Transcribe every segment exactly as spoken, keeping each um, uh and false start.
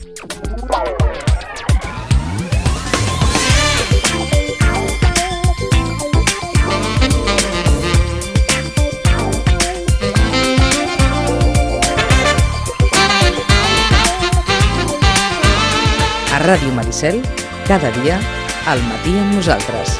A Ràdio Maricel, cada dia, al matí amb nosaltres.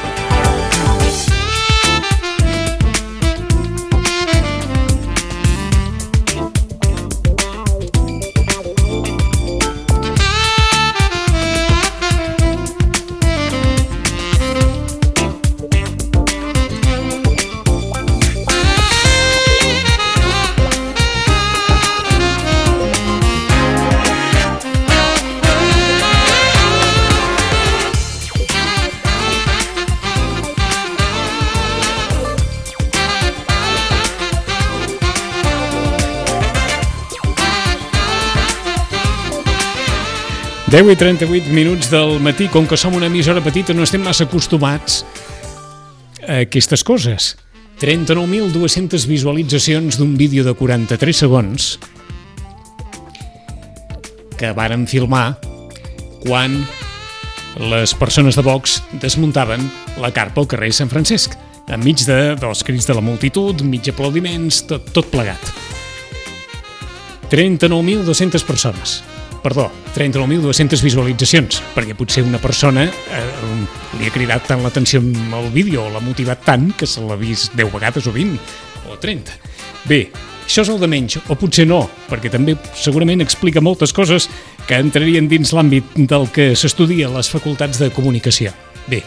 deu i trenta-vuit minuts del matí. Com que som una emissora petita no estem massa acostumats a aquestes coses. trenta-nou mil dues-centes visualitzacions d'un vídeo de quaranta-tres segons que varen filmar quan les persones de Vox desmuntaven la carpa al carrer Sant Francesc, enmig de, dels crits de la multitud, enmig aplaudiments, tot, tot plegat. trenta-nou mil dues-centes persones. Perdó, trenta-nou mil dues-centes visualitzacions, perquè potser una persona eh, li ha cridat tant l'atenció al vídeo o l'ha motivat tant que se l'ha vist deu vegades o vint o trenta. Bé, això és el de menys, o potser no, perquè també segurament explica moltes coses que entrarien dins l'àmbit del que s'estudia a les facultats de comunicació. Bé,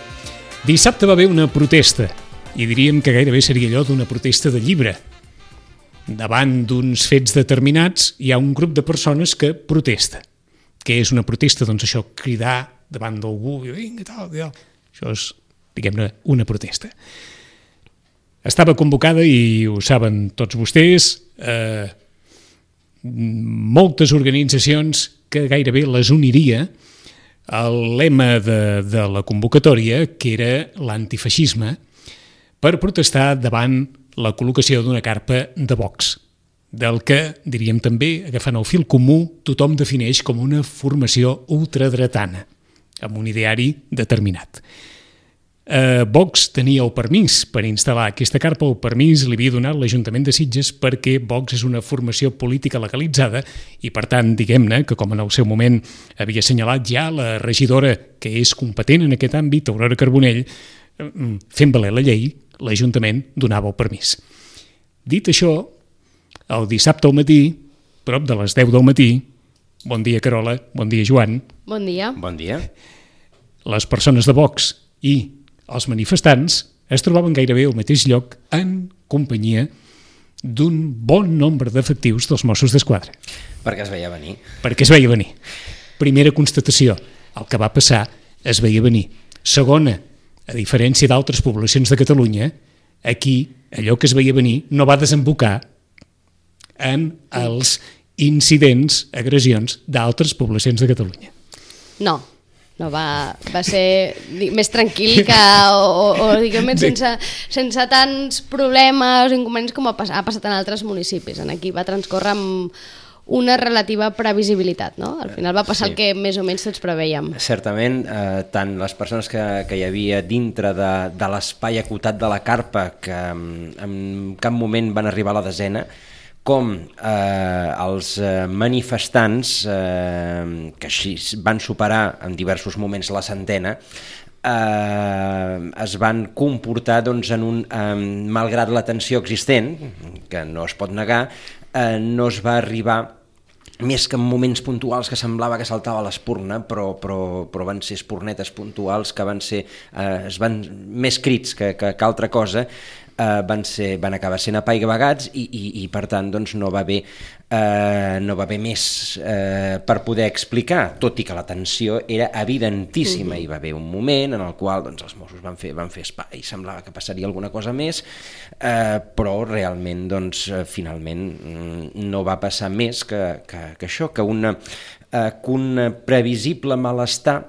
dissabte va haver una protesta, i diríem que gairebé seria allò d'una protesta de llibre. Davant d'uns fets determinats hi ha un grup de persones que protesta. Què és una protesta? Doncs això, cridar davant d'algú, vinga, tal, tal. Això és, diguem-ne, una protesta. Estava convocada, i ho saben tots vostès, eh, moltes organitzacions que gairebé les uniria el lema de, de la convocatòria, que era l'antifeixisme, per protestar davant la col·locació d'una carpa de Vox, del que, diríem també, agafant el fil comú, tothom defineix com una formació ultradretana, amb un ideari determinat. Eh, Vox tenia el permís per instal·lar aquesta carpa, el permís li havia donat l'Ajuntament de Sitges perquè Vox és una formació política legalitzada i, per tant, diguem-ne que, com en el seu moment havia assenyalat ja la regidora que és competent en aquest àmbit, Aurora Carbonell, fent valer la llei, l'Ajuntament donava el permís. Dit això, el dissabte al matí, prop de les deu del matí, bon dia Carola, bon dia Joan. Bon dia. Bon dia. Les persones de Vox i els manifestants es trobaven gairebé al mateix lloc en companyia d'un bon nombre d'efectius dels Mossos d'Esquadra. Perquè es veia venir. Perquè es veia venir. Primera constatació, el que va passar es veia venir. Segona, a diferència d'altres poblacions de Catalunya, aquí allò que es veia venir no va desembocar en els incidents, agressions d'altres poblacions de Catalunya. No, no va, va ser més tranquil que, o, o diguem sense, sense tants problemes o inconvenients com ha, ha passat en altres municipis. En aquí va transcórrer amb una relativa previsibilitat, no? Al final va passar sí. El que més o menys tots preveiem. Certament, eh, tant les persones que, que hi havia dintre de, de l'espai acotat de la carpa, que en cap moment van arribar a la desena, com eh, els manifestants, eh, que així van superar en diversos moments la centena, eh, es van comportar doncs, en un, eh, malgrat la tensió existent, que no es pot negar, eh, no es va arribar, més que en moments puntuals que semblava que saltava l'espurna, però, però, però van ser espurnetes puntuals que van ser, eh, es van, més crits que, que, que altra cosa, eh, van, ser, van acabar sent apaivagats i, i, i per tant doncs, no va haver eh, no va haver més eh, per poder explicar, tot i que la tensió era evidentíssima. Hi va haver un moment en el qual doncs, els Mossos van fer, van fer espai, semblava que passaria alguna cosa més, eh, però realment doncs, finalment no va passar més que, que, que això, que, una, eh, que un previsible malestar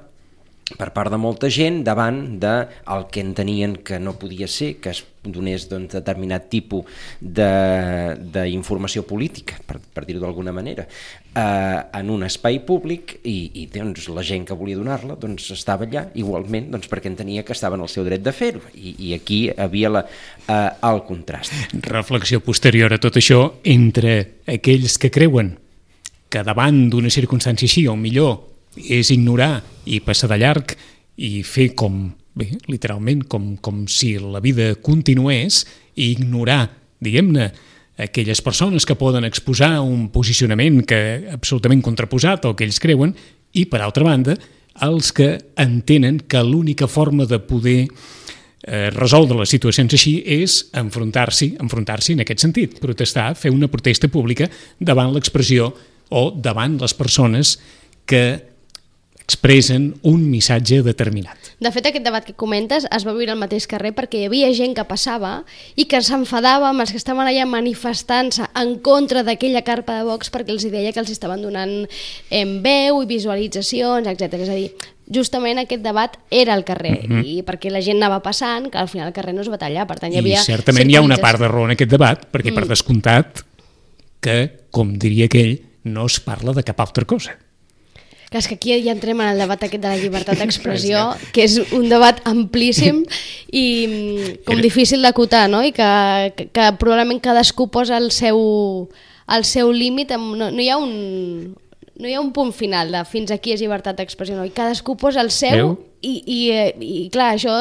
per part de molta gent davant del que entenien que no podia ser, que es donés doncs, determinat tipus d'informació política, per, per dir-ho d'alguna manera, eh, en un espai públic i, i doncs, la gent que volia donar-la doncs, estava allà igualment doncs, perquè entenia que estava en el seu dret de fer-ho i, i aquí havia la, eh, el contrast. Reflexió posterior a tot això entre aquells que creuen que davant d'una circumstància així, o millor és ignorar i passar de llarg i fer com, bé, literalment, com, com si la vida continués i ignorar, diguem-ne, aquelles persones que poden exposar un posicionament que absolutament contraposat al que ells creuen i, per altra banda, els que entenen que l'única forma de poder eh, resoldre les situacions així és enfrontar-s'hi, enfrontar-s'hi en aquest sentit, protestar, fer una protesta pública davant l'expressió o davant les persones que expressen un missatge determinat. De fet, aquest debat que comentes es va viure al mateix carrer perquè hi havia gent que passava i que s'enfadava amb els que estaven allà manifestant-se en contra d'aquella carpa de Vox perquè els deia que els estaven donant en veu i visualitzacions, etcètera. És a dir, justament aquest debat era al carrer mm-hmm. i perquè la gent anava passant, que al final el carrer no es va tallar, per tant hi havia... I certament hi ha una part de raó en aquest debat, perquè mm. per descomptat que, com diria aquell, no es parla de cap altra cosa. Que és que aquí ja entrem en el debat aquest de la llibertat d'expressió, que és un debat amplíssim i com difícil d'acotar, no? I que, que, que probablement cadascú posa el seu, el seu límit, no, no hi ha un... no hi ha un punt final de fins aquí és llibertat d'expressió, no? I cadascú posa el seu i, i, i clar, això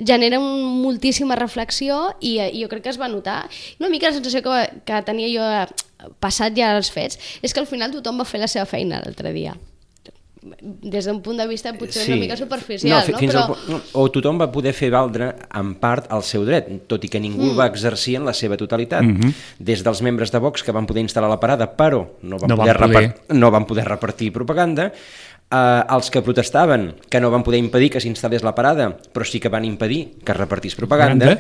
genera un, moltíssima reflexió i, i jo crec que es va notar. Una mica la sensació que, que tenia jo passat ja els fets és que al final tothom va fer la seva feina l'altre dia. Des d'un punt de vista potser sí. una mica superficial, no? no? Però... al, o tothom va poder fer valdre en part el seu dret, tot i que ningú mm. el va exercir en la seva totalitat. Mm-hmm. Des dels membres de Vox que van poder instal·lar la parada, però no van, no poder, van, poder... Repart... no van poder repartir propaganda, Uh, els que protestaven, que no van poder impedir que s'instal·lés la parada, però sí que van impedir que es repartís propaganda,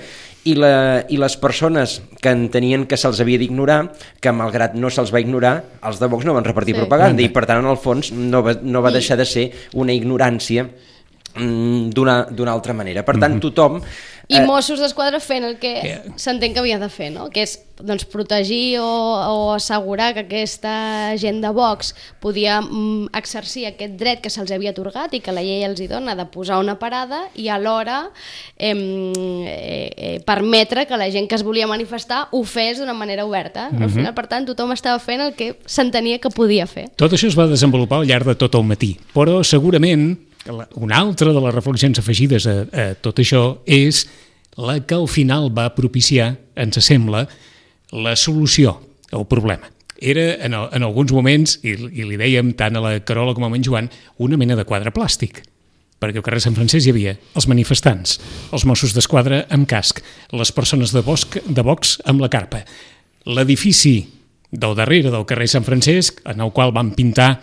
i, la, i les persones que entenien que se'ls havia d'ignorar, que malgrat no se'ls va ignorar, els de Vox no van repartir sí. propaganda, i per tant, en el fons, no va, no va deixar de ser una ignorància mm, d'una, d'una altra manera. Per tant, tothom... I Mossos d'Esquadra fent el que yeah. s'entén que havia de fer, no? Que és doncs, protegir o, o assegurar que aquesta gent de Vox podia mm, exercir aquest dret que se'ls havia atorgat i que la llei els hi dona de posar una parada i alhora eh, eh, permetre que la gent que es volia manifestar ho fes d'una manera oberta. Mm-hmm. Al final, per tant, tothom estava fent el que s'entenia que podia fer. Tot això es va desenvolupar al llarg de tot el matí, però segurament una altra de les reflexions afegides a, a tot això és la que al final va propiciar, ens sembla, la solució al problema. Era, en, en alguns moments, i, i li dèiem tant a la Carola com a en Joan, una mena de quadre plàstic, perquè al carrer Sant Francesc hi havia els manifestants, els Mossos d'Esquadra amb casc, les persones de, Bosc, de Vox amb la carpa, l'edifici del darrere del carrer Sant Francesc, en el qual van pintar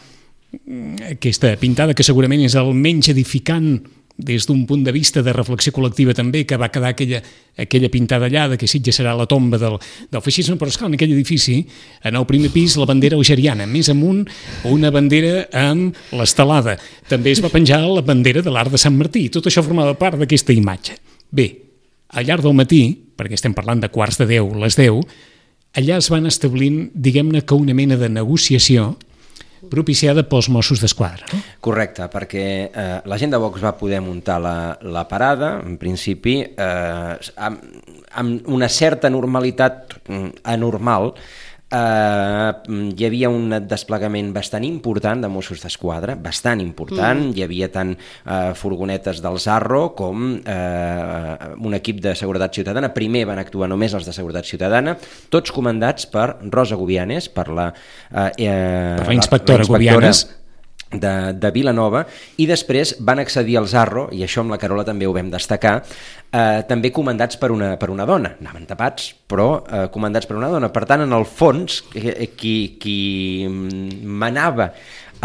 aquesta pintada que segurament és el menys edificant des d'un punt de vista de reflexió col·lectiva també, que va quedar aquella, aquella pintada allà de que Sitges serà la tomba del, del feixisme, però esclar, en aquell edifici, en el primer pis, la bandera algeriana, més amunt una bandera amb l'estelada. També es va penjar la bandera de l'Arc de Sant Martí, tot això formava part d'aquesta imatge. Bé, al llarg del matí, perquè estem parlant de quarts de deu, les deu, allà es van establint, diguem-ne que una mena de negociació propiciada pels Mossos d'Esquadra, no? Correcte, perquè eh, la gent de Vox va poder muntar la, la parada, en principi, eh, amb, amb una certa normalitat anormal. Eh, hi havia un desplegament bastant important de Mossos d'Esquadra, bastant important, mm. hi havia tant eh, furgonetes del Zarro com eh, un equip de seguretat ciutadana. Primer van actuar només els de seguretat ciutadana, tots comandats per Rosa Gubianes, per la, eh, eh, per la inspectora, la, la inspectora Gubianes de, de Vilanova, i després van accedir al Zarro, i això amb la Carola també ho vam destacar, eh, també comandats per una, per una dona, anaven tapats, però eh, comandats per una dona. Per tant, en el fons, qui, qui manava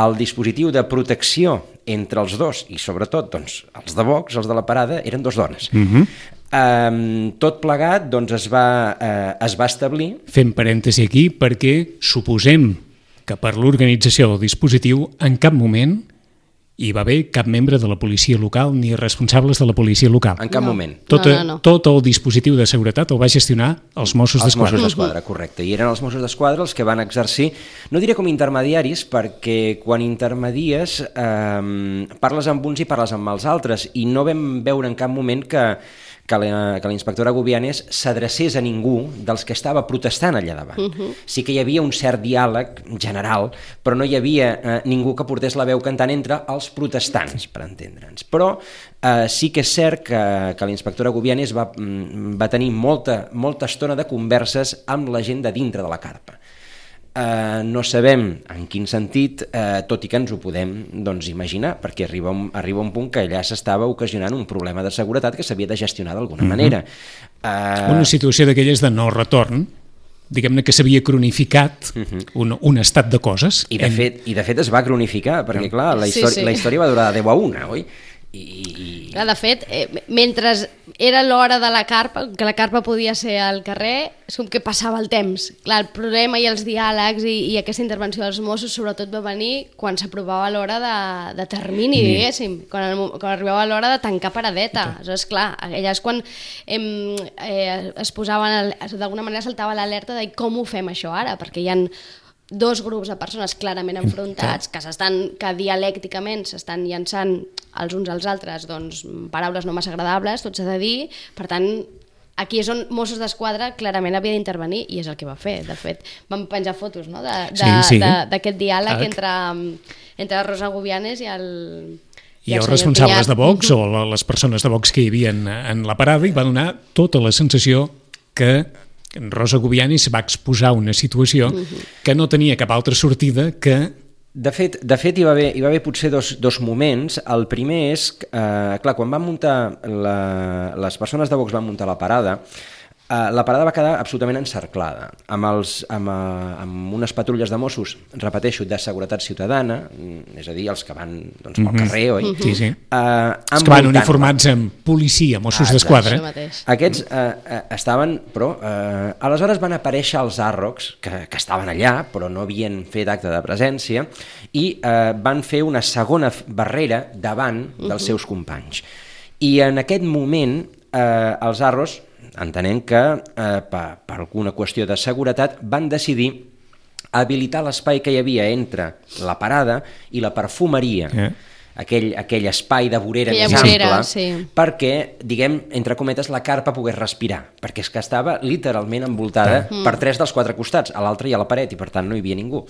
el dispositiu de protecció entre els dos, i sobretot doncs, els de Vox, els de la parada, eren dos dones. Mm-hmm. Um, tot plegat doncs, es, va, eh, es va establir... Fem parèntesi aquí perquè suposem que per l'organització del dispositiu en cap moment hi va haver cap membre de la policia local ni responsables de la policia local. En cap No. moment. Tot, No, no, no. tot el dispositiu de seguretat el va gestionar els Mossos Els d'Esquadra. Mossos d'Esquadra, correcte. I eren els Mossos d'Esquadra els que van exercir, no diré com intermediaris, perquè quan intermedies eh, parles amb uns i parles amb els altres, i no vam veure en cap moment que, que la, que la inspectora Gubianes s'adrecés a ningú dels que estava protestant allà davant. Uh-huh. Sí que hi havia un cert diàleg general, però no hi havia eh, ningú que portés la veu cantant entre els protestants, per entendre'ns. Però eh, sí que és cert que, que la inspectora Gubianes va, va tenir molta, molta estona de converses amb la gent de dintre de la carpa. Uh, no sabem en quin sentit, uh, tot i que ens ho podem doncs, imaginar, perquè arriba un, arriba un punt que allà s'estava ocasionant un problema de seguretat que s'havia de gestionar d'alguna uh-huh. manera. Uh... Una situació d'aquelles de no retorn, diguem-ne que s'havia cronificat uh-huh. un, un estat de coses. I de, en... fet, I de fet es va cronificar, perquè clar, la història, sí, sí. la història va durar de deu a una, oi? I, i... Clar, de fet, eh, mentre era l'hora de la carpa, que la carpa podia ser al carrer, és com que passava el temps. Clar, el problema i els diàlegs i, i aquesta intervenció dels Mossos sobretot va venir quan s'aprovava l'hora de, de termini, mm. diguéssim, quan, el, quan arribava l'hora de tancar paradeta. Okay. Aleshores, clar, allà és quan em, eh, es posaven, d'alguna manera saltava l'alerta de com ho fem això ara, perquè hi ha dos grups de persones clarament enfrontats, que s'estan, que dialècticament s'estan llançant els uns als altres doncs, paraules no massa agradables, tot s'ha de dir, per tant, aquí és on Mossos d'Esquadra clarament havia d'intervenir i és el que va fer. De fet, vam penjar fotos no? d'aquest sí, sí. diàleg ah, entre, entre Rosa Gubianes i el... I, I els responsables de Vox, o les persones de Vox que hi havia en, en la parada, i va donar tota la sensació que Rosa Gubianes va exposar una situació uh-huh. que no tenia cap altra sortida que... De fet, de fet hi, va haver, hi va haver potser dos, dos moments. El primer és, eh, clar, quan van muntar, la, les persones de Vox van muntar la parada, Uh, la parada va quedar absolutament encerclada, amb, els, amb, uh, amb unes patrulles de Mossos, repeteixo, de seguretat ciutadana, és a dir, els que van doncs, pel carrer, oi? Mm-hmm. Sí, sí. Uh, els que van uniformats amb policia, Mossos ah, d'Esquadra. Aquests uh, uh, estaven, però, uh, aleshores van aparèixer els àrrocs, que, que estaven allà, però no havien fet acte de presència, i uh, van fer una segona barrera davant dels uh-huh. seus companys. I en aquest moment, uh, els àrrocs, entenent que eh, per, per alguna qüestió de seguretat van decidir habilitar l'espai que hi havia entre la parada i la perfumeria, eh. aquell, aquell espai de vorera Aquella més vorera, ample, sí. perquè, diguem, entre cometes, la carpa pogués respirar, perquè és que estava literalment envoltada mm. per tres dels quatre costats, a l'altre i a la paret, i per tant no hi havia ningú.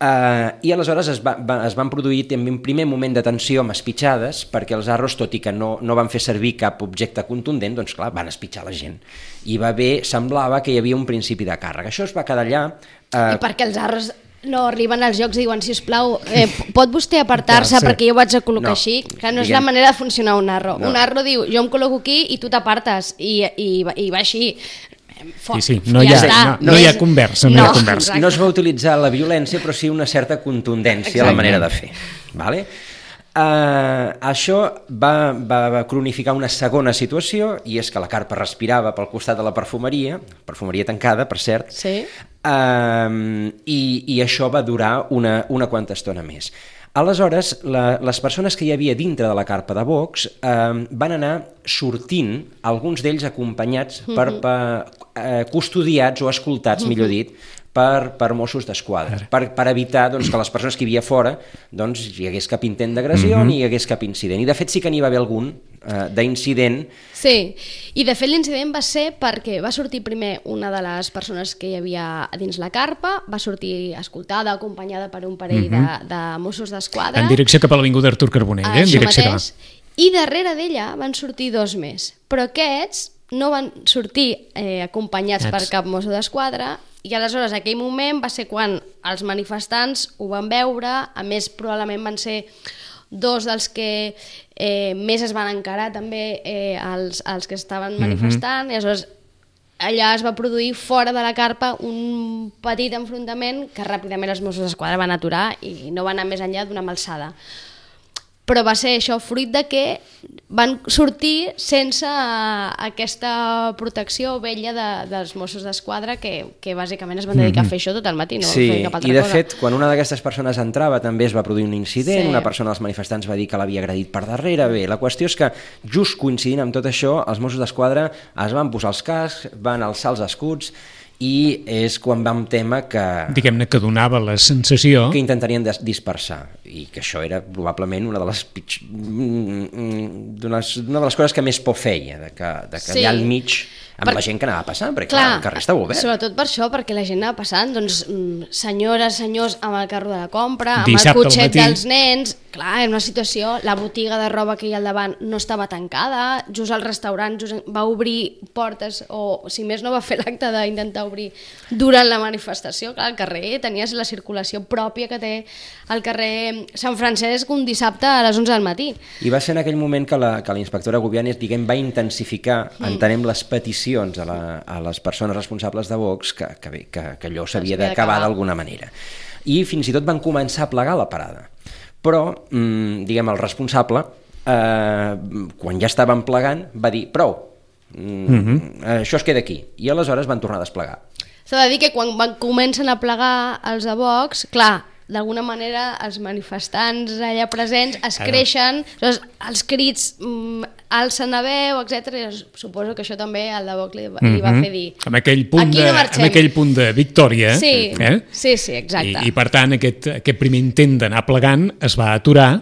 Uh, I aleshores es, va, va, es van produir en un primer moment de tensió amb espitxades, perquè els arros, tot i que no, no van fer servir cap objecte contundent, doncs clar, van espitxar la gent. I va haver, semblava que hi havia un principi de càrrega. Això es va quedar allà... Uh... I perquè els arros no arriben als llocs i diuen, sisplau, eh, pot vostè apartar-se sí. perquè jo vaig a col·locar no, així? Que no és diguem... la manera de funcionar un arro. No. Un arro diu, jo em col·loco aquí i tu t'apartes, i, i, i va així. Foc, sí, sí, no, hi ha, no, no hi ha conversa. No, no, hi ha conversa. No es va utilitzar la violència, però sí una certa contundència a la manera de fer. Vale? Uh, això va, va, va cronificar una segona situació, i és que la carpa respirava pel costat de la perfumeria, perfumeria tancada, per cert, sí. uh, i, i això va durar una, una quanta estona més. Aleshores, la, les persones que hi havia dintre de la carpa de Vox eh, van anar sortint, alguns d'ells acompanyats, per, per, eh, custodiats o escoltats, millor dit, per, per Mossos d'Esquadra, per, per evitar doncs, que les persones que hi havia fora doncs, hi hagués cap intent d'agressió mm-hmm. ni hi hagués cap incident. I de fet sí que n'hi va haver algun eh, d'incident. Sí, i de fet l'incident va ser perquè va sortir primer una de les persones que hi havia dins la carpa, va sortir escoltada, acompanyada per un parell mm-hmm. de, de Mossos d'Esquadra. En direcció cap a l'Avinguda Artur Carbonell, eh? En direcció mateix, i darrere d'ella van sortir dos més, però aquests no van sortir eh, acompanyats Ets. per cap Mosso d'Esquadra. I aleshores, aquell moment va ser quan els manifestants ho van veure, a més probablement van ser dos dels que eh, més es van encarar també eh, els, els que estaven manifestant, mm-hmm. i aleshores allà es va produir fora de la carpa un petit enfrontament que ràpidament els Mossos d'Esquadra van aturar i no van anar més enllà d'una malsada. però va ser això, fruit de que van sortir sense aquesta protecció vella de, dels Mossos d'Esquadra que, que bàsicament es van dedicar a fer això tot el matí, no sí, fer cap altra i de cosa. fet, quan una d'aquestes persones entrava també es va produir un incident, Sí. una persona dels manifestants va dir que l'havia agredit per darrere. Bé, la qüestió és que just coincidint amb tot això, els Mossos d'Esquadra es van posar els cascs, van alçar els escuts i és quan vam temer que... Diguem-ne que donava la sensació... que intentarien des- dispersar i que això era probablement una de les pitj... una de les coses que més por feia, de que, de que Sí. allà al mig amb Per- la gent que anava passant, perquè clar, Clar, el carrer estava obert. sobretot per això, perquè la gent anava passant, doncs, mm, senyores, senyors, amb el carro de la compra, amb Dissabte el al cotxet matí. dels nens, clar, en una situació, la botiga de roba que hi ha al davant no estava tancada, just el restaurant just va obrir portes, o si més no va fer l'acte d'intentar obrir durant la manifestació, clar, al carrer tenies la circulació pròpia que té el carrer Sant Francesc un dissabte a les onze del matí. I va ser en aquell moment que la, que la inspectora Gubianes, diguem, va intensificar, mm. entenem, les peticions a, la, a les persones responsables de Vox que, que, bé, que, que allò s'havia d'acabar d'alguna manera. I fins i tot van començar a plegar la parada. Però, mmm, diguem, el responsable, eh, quan ja estaven plegant, va dir, prou, mm, mm-hmm. això es queda aquí. I aleshores van tornar a desplegar. S'ha de dir que quan van, comencen a plegar els de Vox, clar, d'alguna manera els manifestants allà presents es Claro. creixen, doncs, els crits mm, alcen la veu, etcètera. Suposo que això també al de Vox li, li va fer dir... Amb aquell punt, Aquí de, no marxem. amb aquell punt de victòria. Sí, eh? sí, sí, exacte. I, I per tant, aquest, aquest primer intent d'anar plegant es va aturar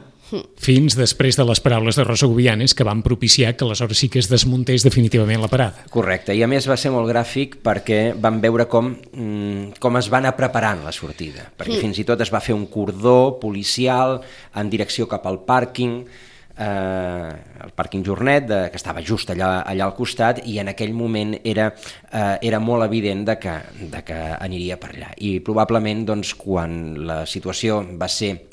fins després de les paraules de Rosa Gubianes, que van propiciar que aleshores sí que es desmuntés definitivament la parada. Correcte, i a més va ser molt gràfic perquè vam veure com, mm, com es va anar preparant la sortida, perquè mm. fins i tot es va fer un cordó policial en direcció cap al pàrquing, eh, el pàrquing Jornet, de, que estava just allà, allà al costat, i en aquell moment era, eh, era molt evident de que, de que aniria per allà. I probablement doncs, quan la situació va ser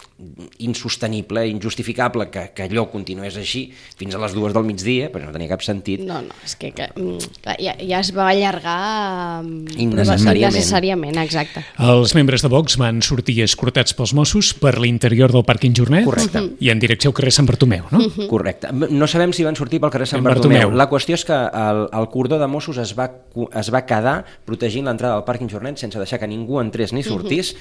insostenible, injustificable que, que allò continués així fins a les dues del migdia, perquè no tenia cap sentit. No, no, és que, que mm, clar, ja, ja es va allargar mm, Innecessàriament. innecessàriament, exacte. Els membres de Vox van sortir escortats pels Mossos per l'interior del pàrquing Jornet. Correcte. I en direcció al carrer Sant Bartomeu, no? Correcte. No sabem si van sortir pel carrer Sant Sant Bartomeu. Bartomeu. La qüestió és que el, el cordó de Mossos es va, es va quedar protegint l'entrada del pàrquing Jornet sense deixar que ningú entrés ni sortís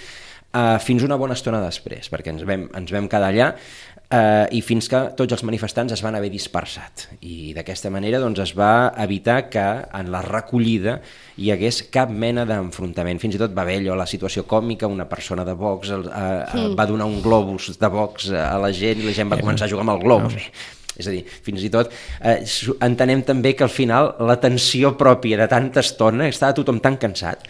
uh, fins una bona estona després, perquè ens vam, ens vam quedar allà uh, i fins que tots els manifestants es van haver dispersat. I d'aquesta manera doncs, es va evitar que en la recollida hi hagués cap mena d'enfrontament. Fins i tot va haver allò, la situació còmica, una persona de Vox uh, uh, va donar un globus de Vox a la gent i la gent va començar a jugar amb el globus. Bé, és a dir, fins i tot eh, entenem també que al final la tensió pròpia de tanta estona, estava tothom tan cansat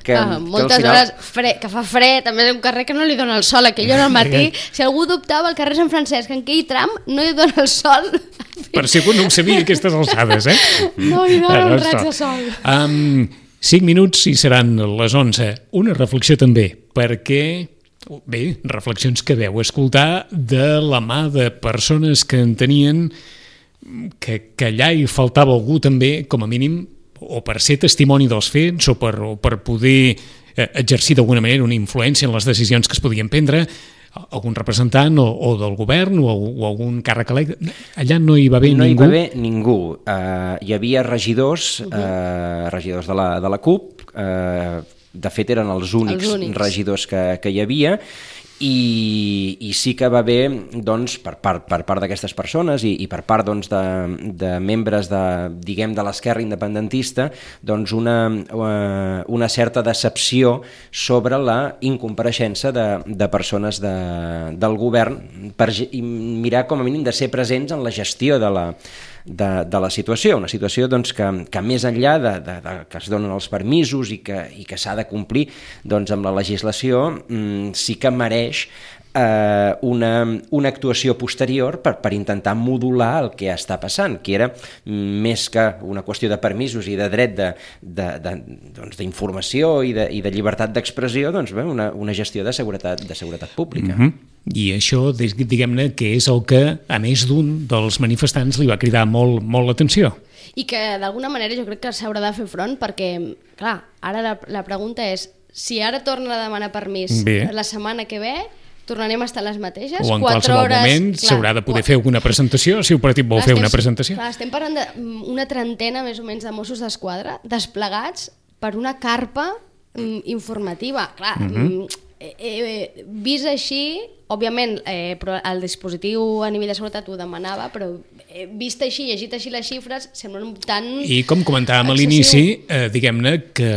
que, Ah, que moltes al final... hores fre, que fa fred, també és un carrer que no li dona el sol, aquella hora al matí, si algú dubtava al carrer Sant Francesc, en aquell tram no hi dona el sol. Per si algú no ho sabia aquestes alçades, eh? No hi dona Bueno, un raig això. de sol. Um, cinc minuts i seran les onze. Una reflexió també, perquè... Bé, reflexions que veu escoltar de la mà de persones que entenien que, que allà hi faltava algú també, com a mínim, o per ser testimoni dels fets o per, o per poder eh, exercir d'alguna manera una influència en les decisions que es podien prendre, algun representant o, o del govern o, o algun càrrec electe. Allà no hi va haver no ningú? No hi va haver ningú. Uh, hi havia regidors, uh, regidors de la, de la CUP, uh, de fet eren els únics, els únics. regidors que, que hi havia, i, i sí que va haver doncs, per part, per part d'aquestes persones i, i per part doncs, de, de membres de, diguem, de l'esquerra independentista doncs, una, una certa decepció sobre la incompareixença de, de persones de, del govern per mirar com a mínim de ser presents en la gestió de la De, de la situació, una situació doncs, que, que més enllà de, de, de que es donen els permisos i que, i que s'ha de complir doncs, amb la legislació, mmm, sí que mereix eh, una, una actuació posterior per, per intentar modular el que està passant, que era més que una qüestió de permisos i de dret de, de, de, doncs, d'informació i de, i de llibertat d'expressió, doncs, bé, una, una gestió de seguretat, de seguretat pública. Mm-hmm. I això, diguem-ne, que és el que, a més d'un dels manifestants, li va cridar molt, molt l'atenció. I que d'alguna manera jo crec que s'haurà de fer front perquè, clar, ara la, la pregunta és si ara torna a demanar permís Bé. la setmana que ve, tornarem a estar les mateixes. O en quatre qualsevol hores, moment s'haurà de poder fer alguna presentació, si el partit vol fer estem, una presentació. Clar, estem parlant d'una trentena més o menys de Mossos d'Esquadra desplegats per una carpa mm, informativa. Clar, mm-hmm. eh, eh, vist així, òbviament eh, però el dispositiu a nivell de seguretat ho demanava, però eh, vist així, llegit així les xifres, semblen tan I com comentàvem excessiu. a l'inici, eh, diguem-ne que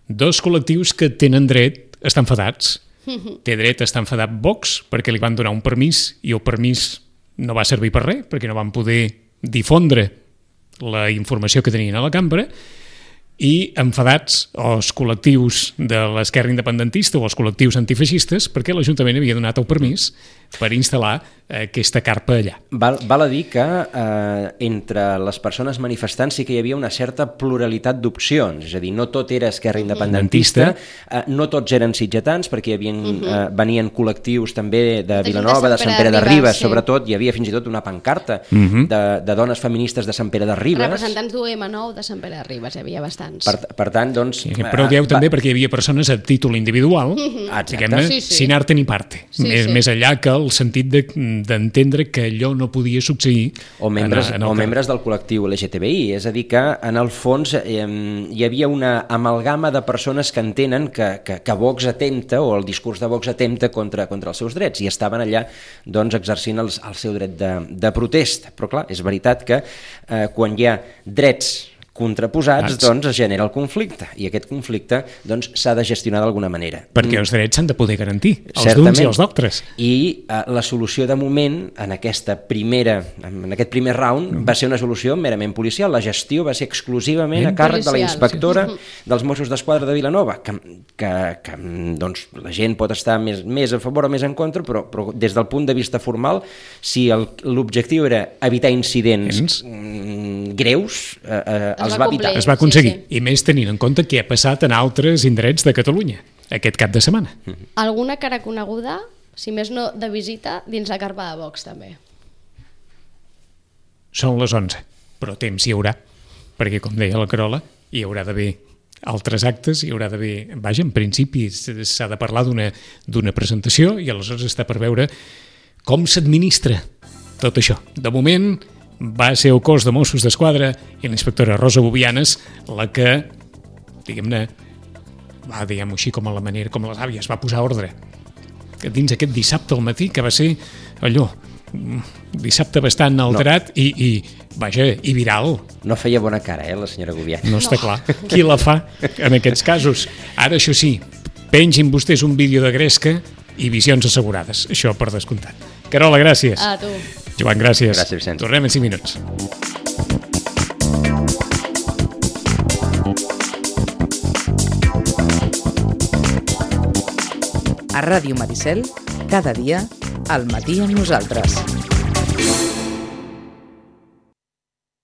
dos col·lectius que tenen dret estan enfadats. Té dret a estar enfadat Vox perquè li van donar un permís i el permís no va servir per res, perquè no van poder difondre la informació que tenien a la cambra, i enfadats els col·lectius de l'esquerra independentista o els col·lectius antifeixistes perquè l'Ajuntament havia donat el permís per instal·lar aquesta carpa allà. Val, val a dir que eh, entre les persones manifestants sí que hi havia una certa pluralitat d'opcions, és a dir, no tot era esquerra independentista, eh, no tots eren sitgetans, perquè hi havia, eh, venien col·lectius també de Vilanova, de Sant Pere de Ribes, sí. Sobretot hi havia fins i tot una pancarta uh-huh. de, de dones feministes de Sant Pere de Ribes. Representants d'U M nou de Sant Pere de Ribes, hi havia bastants. Per, per tant, doncs... Sí, però ho dieu eh, també va... perquè hi havia persones a títol individual, uh-huh. diguem-ne, sí, sí. sin arte ni parte, sí, més, sí. més enllà que el sentit de d'entendre que allò no podia succeir o membres, en, en el o membres del col·lectiu L G T B I, és a dir que en el fons eh, hi havia una amalgama de persones que entenen que, que, que Vox atempta o el discurs de Vox atempta contra, contra els seus drets i estaven allà doncs, exercint els, el seu dret de, de protesta, però clar, és veritat que eh, quan hi ha drets contraposats, Ats. doncs es genera el conflicte i aquest conflicte doncs s'ha de gestionar d'alguna manera. Perquè els drets s'han de poder garantir, els Certament. d'uns i els d'altres. I eh, la solució de moment en aquesta primera en aquest primer round mm. va ser una solució merament policial, la gestió va ser exclusivament ben a càrrec policial, de la inspectora sí. dels Mossos d'Esquadra de Vilanova, que, que, que doncs, la gent pot estar més, més a favor o més en contra, però, però des del punt de vista formal, si l'objectiu era evitar incidents mm, greus, eh, eh, es va evitar. Es va aconseguir, sí, sí. I més tenint en compte què ha passat en altres indrets de Catalunya aquest cap de setmana. Mm-hmm. Alguna cara coneguda, si més no de visita, dins la carpa de Vox també. Són les onze, però temps hi haurà, perquè com deia la Carola, hi haurà d'haver altres actes, hi haurà d'haver... Vaja, en principi s'ha de parlar d'una d'una presentació i aleshores està per veure com s'administra tot això. De moment va ser el cos de Mossos d'Esquadra i la inspectora Rosa Bovianes la que, diguem-ne, va, diguem-ho així, com a la manera, com a les àvies, va posar ordre. Que dins aquest dissabte al matí, que va ser allò, dissabte bastant alterat no. i, i, vaja, i viral. No feia bona cara, eh, la senyora Bovianes. No està no. clar. Qui la fa en aquests casos? Ara, això sí, pengin vostès un vídeo de gresca i visions assegurades. Això per descomptat. Carola, gràcies. A tu. Joan, gràcies. Gràcies, Vicent. Tornem en cinc minuts. A Ràdio Maricel, cada dia, al matí amb nosaltres.